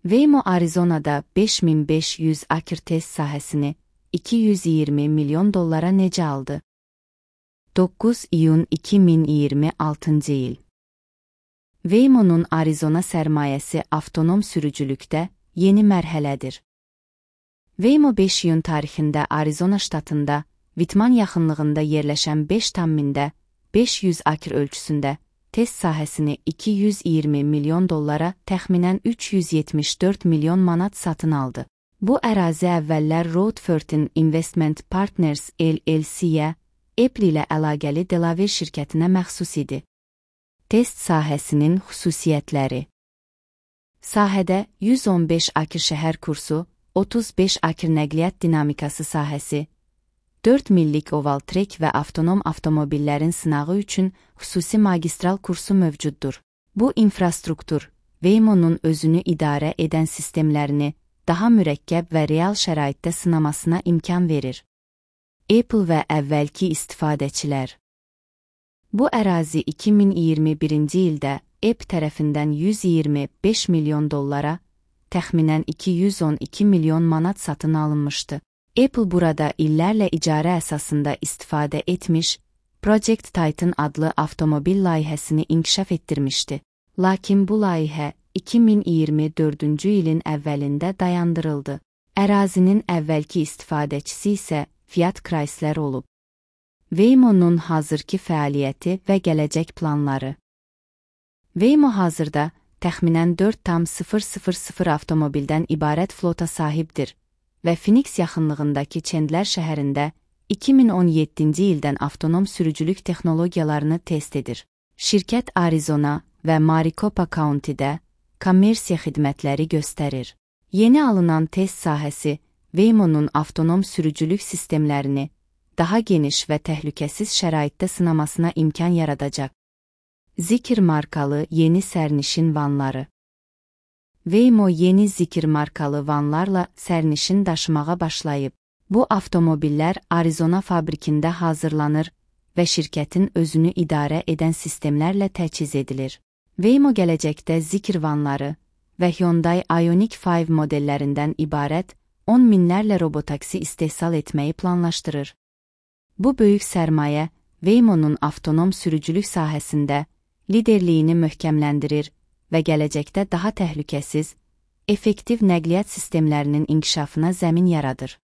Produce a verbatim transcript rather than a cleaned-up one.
Waymo Arizonada beş min beş yüz akre test sahəsini iki yüz iyirmi milyon dollara necə aldı? doqquz iyun iki min iyirmi altıncı il. Waymo'nun Arizona sərmayəsi avtonom sürücülükdə yeni mərhələdir. Waymo beş iyun tarixində Arizona ştatında Whitman yaxınlığında yerləşən beş tam mində beş yüz akre ölçüsündə test sahəsini iki yüz iyirmi milyon dollara təxminən üç yüz yetmiş dörd milyon manat satın aldı. Bu ərazi əvvəllər Roadfortin Investment Partners L L C-yə, Apple ilə əlaqəli Delaware şirkətinə məxsus idi. Test sahəsinin xüsusiyyətləri. Sahədə yüz on beş akre şəhər kursu, otuz beş akre nəqliyyat dinamikası sahəsi, dörd millik oval trek və avtonom avtomobillərin sınağı üçün xüsusi magistral kursu mövcuddur. Bu infrastruktur, Waymo'nun özünü idarə edən sistemlərini daha mürəkkəb və real şəraitdə sınamasına imkan verir. Apple və əvvəlki istifadəçilər. Bu ərazi iki min iyirmi birinci ildə Apple tərəfindən yüz iyirmi beş milyon dollara, təxminən iki yüz on iki milyon manat satın alınmışdı. Apple burada illərlə icarə əsasında istifadə etmiş, Project Titan adlı avtomobil layihəsini inkişaf etdirmişdi. Lakin bu layihə iki min iyirmi dördüncü ilin əvvəlində dayandırıldı. Ərazinin əvvəlki istifadəçisi isə Fiat Chrysler olub. Waymo'nun hazırki fəaliyyəti və gələcək planları. Waymo hazırda təxminən dörd tam sıfır sıfır sıfır avtomobildən ibarət flota sahibdir və Phoenix yaxınlığındakı Chandler şəhərində iki min on yeddinci ildən avtonom sürücülük texnologiyalarını test edir. Şirkət Arizona və Maricopa County'də kommersiya xidmətləri göstərir. Yeni alınan test sahəsi Waymo'nun avtonom sürücülük sistemlərini daha geniş və təhlükəsiz şəraitdə sınamasına imkan yaradacaq. Zikr markalı yeni sərnişin vanları. Waymo yeni Zikr markalı vanlarla sərnişin daşımağa başlayıb. Bu avtomobillər Arizona fabrikində hazırlanır və şirkətin özünü idarə edən sistemlərlə təchiz edilir. Waymo gələcəkdə Zikr vanları və Hyundai Ioniq beş modellərindən ibarət on minlərlə robotaksi istehsal etməyi planlaşdırır. Bu böyük sərmayə Waymo'nun avtonom sürücülük sahəsində liderliyini möhkəmləndirir və gələcəkdə daha təhlükəsiz, effektiv nəqliyyat sistemlərinin inkişafına zəmin yaradır.